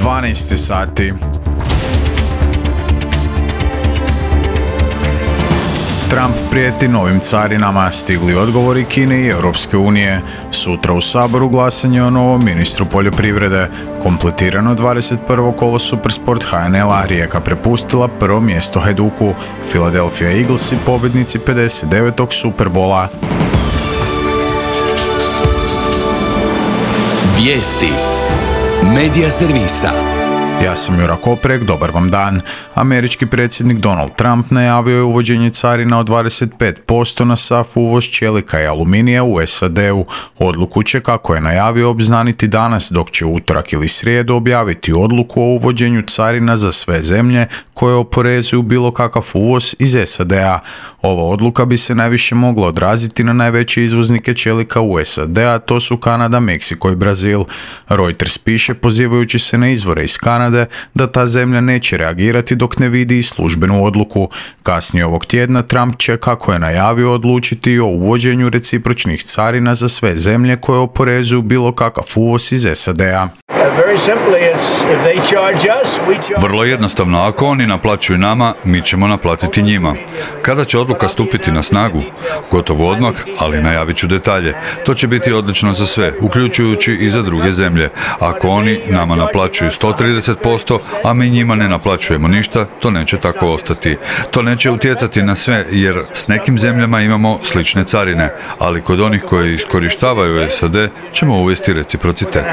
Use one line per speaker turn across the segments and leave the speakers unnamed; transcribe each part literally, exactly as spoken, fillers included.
dvanaest sati. Trump prijeti novim carinama, stigli odgovori Kine i Europske unije. Sutra u Saboru glasanje o novom ministru poljoprivrede. Kompletirano dvadeset prvo kolo Supersport H N L-a, Rijeka prepustila prvo mjesto Hajduku. Philadelphia Eaglesi pobjednici pedeset devetog Superbola.
Vijesti Medija servisa.
Ja sam Jura Koprek, dobar vam dan. Američki predsjednik Donald Trump najavio je uvođenje carina od dvadeset pet posto na sav uvoz čelika i aluminija u S A D-u. Odluku će, kako je najavio, obznaniti danas, dok će utorak ili srijedu objaviti odluku o uvođenju carina za sve zemlje koje oporezuju bilo kakav uvoz iz S A D-a. Ova odluka bi se najviše mogla odraziti na najveće izvoznike čelika u S A D-a, to su Kanada, Meksiko i Brazil. Reuters piše, pozivajući se na izvore iz Kanade, da ta zemlja neće reagirati dok ne vidi službenu odluku. Kasnije ovog tjedna Trump će, kako je najavio, odlučiti o uvođenju recipročnih carina za sve zemlje koje oporezuju bilo kakav uvoz iz S A D-a.
Vrlo jednostavno, ako oni naplaćuju nama, mi ćemo naplatiti njima. Kada će odluka stupiti na snagu? Gotovo odmah, ali najavit ću detalje. To će biti odlično za sve, uključujući i za druge zemlje. Ako oni nama naplaćuju sto trideset posto, a mi njima ne naplaćujemo ništa, to neće tako ostati. To neće utjecati na sve, jer s nekim zemljama imamo slične carine, ali kod onih koji iskorištavaju S A D ćemo uvesti reciprocitet.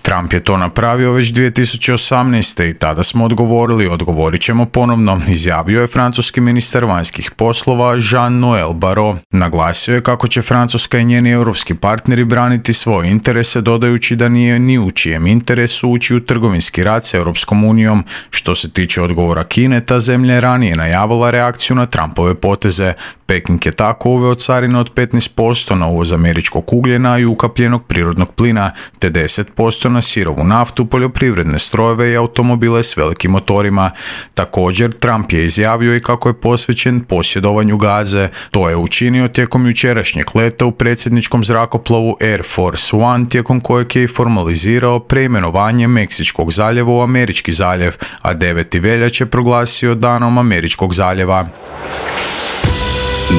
Trump je to napravio već dvije tisuće osamnaeste. i tada smo odgovorili, odgovorit ćemo ponovno, izjavio je francuski ministar vanjskih poslova Jean-Noël Barrot. Naglasio je kako će Francuska i njeni europski partneri braniti svoje interese, dodajući da nije ni u čijem interesu ući u trgovinski rat s Europskom unijom. Što se tiče odgovora Kine, ta zemlja je ranije najavila reakciju na Trumpove poteze. Peking je tako uveo carine od petnaest posto na uvoz američkog ugljena i ukapljenog prirodnog plina, te deset posto na sirovu naftu, poljoprivredne strojeve i automobile s velikim motorima. Također, Trump je izjavio i kako je posvećen posjedovanju Gaze. To je učinio tijekom jučerašnjeg leta u predsjedničkom zrakoplovu Air Force One, tijekom kojeg je i formalizirao preimenovanje Meksičkog zaljeva u Američki zaljev, a deveti veljače proglasio danom Američkog zaljeva.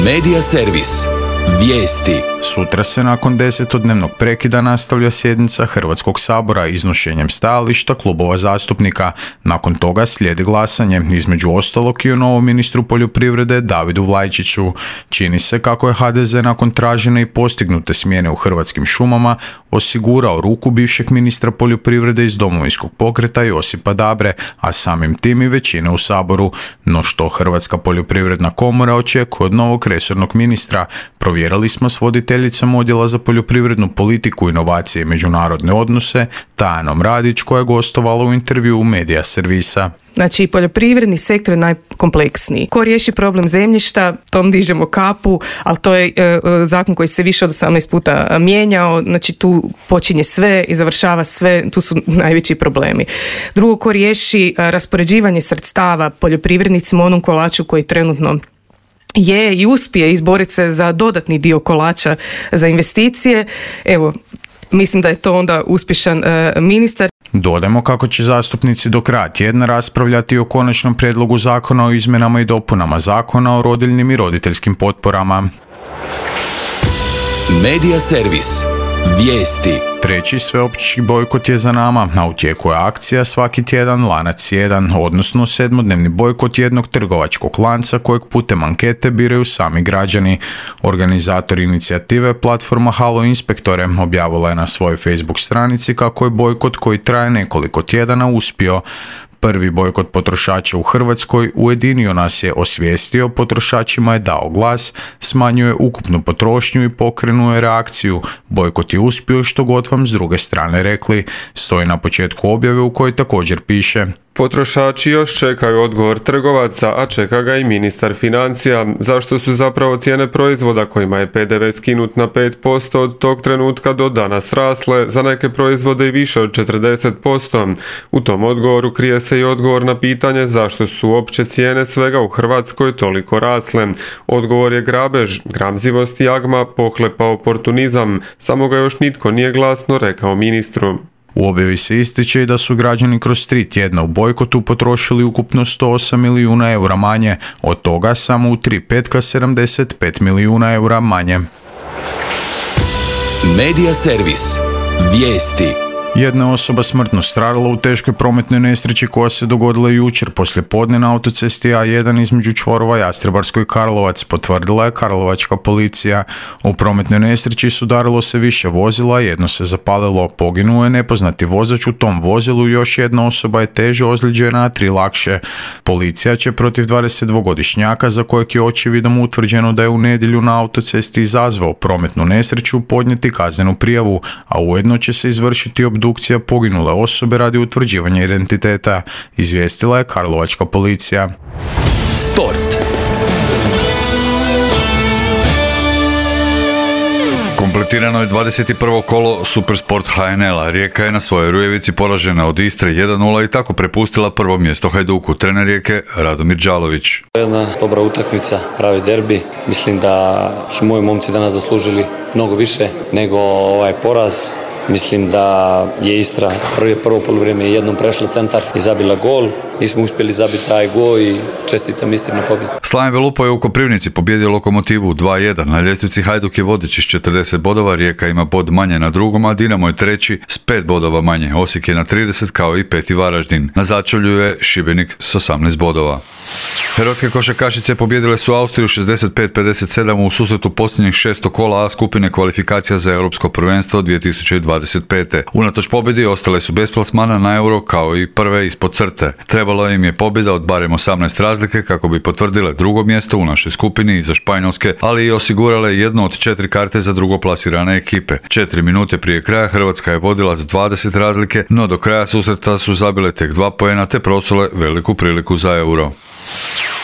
Medija servis. Vijesti.
Sutra se nakon desetodnevnog prekida nastavlja sjednica Hrvatskog sabora iznošenjem stajališta klubova zastupnika. Nakon toga slijedi glasanje, između ostalog i o novom ministru poljoprivrede Davidu Vlajčiću. Čini se kako je H D Z nakon tražene i postignute smjene u Hrvatskim šumama osigurao ruku bivšeg ministra poljoprivrede iz Domovinskog pokreta Josipa Dabre, a samim tim i većine u Saboru. No što Hrvatska poljoprivredna komora očekuje od novog resornog ministra? Provjerili smo s voditeljicom odjela za poljoprivrednu politiku, inovacije i međunarodne odnose, Tajanom Radić, koja je gostovala u intervjuu Medija servisa.
Znači, poljoprivredni sektor je najkompleksniji. Ko riješi problem zemljišta, tom dižemo kapu, ali to je e, zakon koji se više od osamnaest puta mijenjao, znači tu počinje sve i završava sve, tu su najveći problemi. Drugo, ko riješi e, raspoređivanje sredstava poljoprivrednicima, onom kolaču koji trenutno je i uspije izboriti se za dodatni dio kolača za investicije, evo, mislim da je to onda uspješan e, ministar.
Dodajmo kako će zastupnici do kraja tjedna raspravljati o konačnom prijedlogu zakona o izmjenama i dopunama zakona o rodiljnim i roditeljskim potporama.
Medija servis. Vijesti.
Treći sveopći bojkot je za nama, a u tijeku je akcija Svaki tjedan lanac jedan, odnosno sedmodnevni bojkot jednog trgovačkog lanca kojeg putem ankete biraju sami građani. Organizator inicijative, platforma Halo Inspektore, objavila je na svojoj Facebook stranici kako je bojkot koji traje nekoliko tjedana uspio. Prvi bojkot potrošača u Hrvatskoj ujedinio nas je, osvijestio, potrošačima je dao glas, smanjuje ukupnu potrošnju i pokrenuo je reakciju. Bojkot je uspio što god vam s druge strane rekli, stoji na početku objave u kojoj također piše:
Potrošači još čekaju odgovor trgovaca, a čeka ga i ministar financija. Zašto su zapravo cijene proizvoda kojima je pe de ve skinut na pet posto od tog trenutka do danas rasle, za neke proizvode i više od četrdeset posto? U tom odgovoru krije se i odgovor na pitanje zašto su opće cijene svega u Hrvatskoj toliko rasle. Odgovor je grabež, gramzivost i jagma, pohlepa oportunizam, samo ga još nitko nije glasno rekao ministru.
U objavi se ističe i da su građani kroz tri tjedna u bojkotu potrošili ukupno sto osam milijuna eura manje, od toga samo u tri petka sedamdeset pet milijuna eura manje.
Medija servis. Vijesti.
Jedna osoba smrtno stradala u teškoj prometnoj nesreći koja se dogodila jučer poslije podne na autocesti A jedan između čvorova Jastrebarsko i Karlovac, potvrdila je karlovačka policija. U prometnoj nesreći sudarilo se više vozila, jedno se zapalilo, poginuo je nepoznati vozač u tom vozilu, još jedna osoba je teže ozlijeđena, a tri lakše. Policija će protiv dvadesetdvogodišnjaka za kojeg je očevidom utvrđeno da je u nedjelju na autocesti izazvao prometnu nesreću podnijeti kaznenu prijavu, a ujedno će se izvršiti obdukcija poginule osobe radi utvrđivanja identiteta, izvijestila je karlovačka policija.
Sport.
Kompletirano je dvadeset prvo kolo Supersport ha en el-a. Rijeka je na svojoj Rujevici poražena od Istre jedan nula i tako prepustila prvo mjesto Hajduku. Trener Rijeke Radomir Đalović.
Jedna dobra utakmica, pravi derbi. Mislim da su moji momci danas zaslužili mnogo više nego ovaj poraz. Mislim da je Istra prvi prvo poluvrijeme jednom prešla centar i zabila gol. Nismo uspjeli zabiti taj gol i čestitam Istri na pobjedu.
Slaven Belupo je u Koprivnici pobjedio Lokomotivu dva jedan. Na ljestvici Hajduk je vodeći s četrdeset bodova, Rijeka ima bod manje na drugom, a Dinamo je treći s pet bodova manje. Osijek je na trideset kao i peti Varaždin. Na začelju je Šibenik s osamnaest bodova. Hrvatske košarkašice pobjedile su Austriju šezdeset pet pedeset sedam u susretu posljednjih šesto kola A skupine kvalifikacija za Europsko prvenstvo dvije tisuće dvadeset pete. Unatoč pobjedi ostale su bez plasmana na Euro kao i prve ispod crte. Trebalo im je pobjeda od barem osamnaest razlike kako bi potvrdile drugo mjesto u našoj skupini iza Španjolske, ali i osigurale jednu od četiri karte za drugo plasirane ekipe. Četiri minute prije kraja Hrvatska je vodila s dvadeset razlike, no do kraja susreta su zabile tek dva poena te prosule veliku priliku za Euro.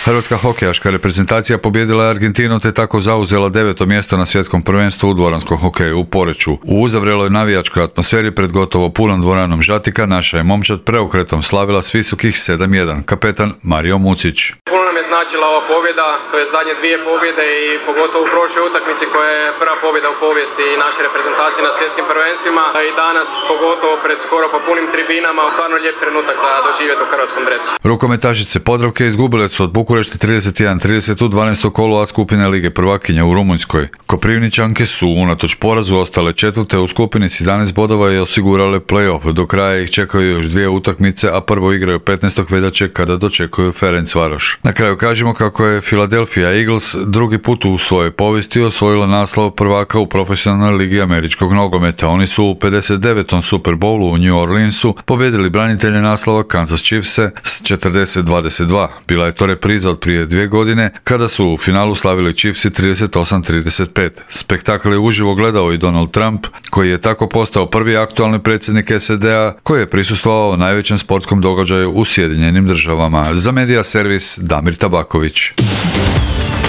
Hrvatska hokejaška reprezentacija pobijedila je Argentinu te tako zauzela deveto mjesto na svjetskom prvenstvu u dvoranskom hokeju u Poreču. U uzavreloj navijačkoj atmosferi pred gotovo punom dvoranom Žatika naša je momčad preokretom slavila s visokih sedam jedan. Kapetan Mario Mucić.
Puno nam je značila ova pobjeda, to je zadnje dvije pobjede i pogotovo u prošloj utakmici koja je prva pobjeda u povijesti naše reprezentacije na svjetskim prvenstvima i danas pogotovo pred skoro pa punim tribinama, stvarno lijep trenutak za doživjeti u hrvatskom dresu.
Rukometašice Podravke izgubile su od Bukurešti trideset jedan trideset u dvanaestom kolu A skupine Lige prvakinja u Rumunjskoj. Koprivničanke su unatoč porazu ostale četvrte u skupini s jedanaest bodova i osigurale play-off. Do kraja ih čekaju još dvije utakmice, a prvo igraju petnaestog veljače kada dočekuju Ferencvaroš. Na kraju kažemo kako je Philadelphia Eagles drugi put u svojoj povijesti osvojila naslov prvaka u profesionalnoj ligi američkog nogometa. Oni su u pedeset devetom Super Bowlu u New Orleansu pobjedili branitelje naslova Kansas Chiefse s četrdeset dvadeset dva. Bila je to repriza od prije dvije godine kada su u finalu slavili Chiefsi trideset osam trideset pet. Spektakl je uživo gledao i Donald Trump, koji je tako postao prvi aktualni predsjednik es a de a koji je prisustvovao najvećem sportskom događaju u Sjedinjenim državama. Za Medija servis Damir Tabaković.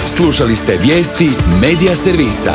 Slušali ste vijesti Medija servisa.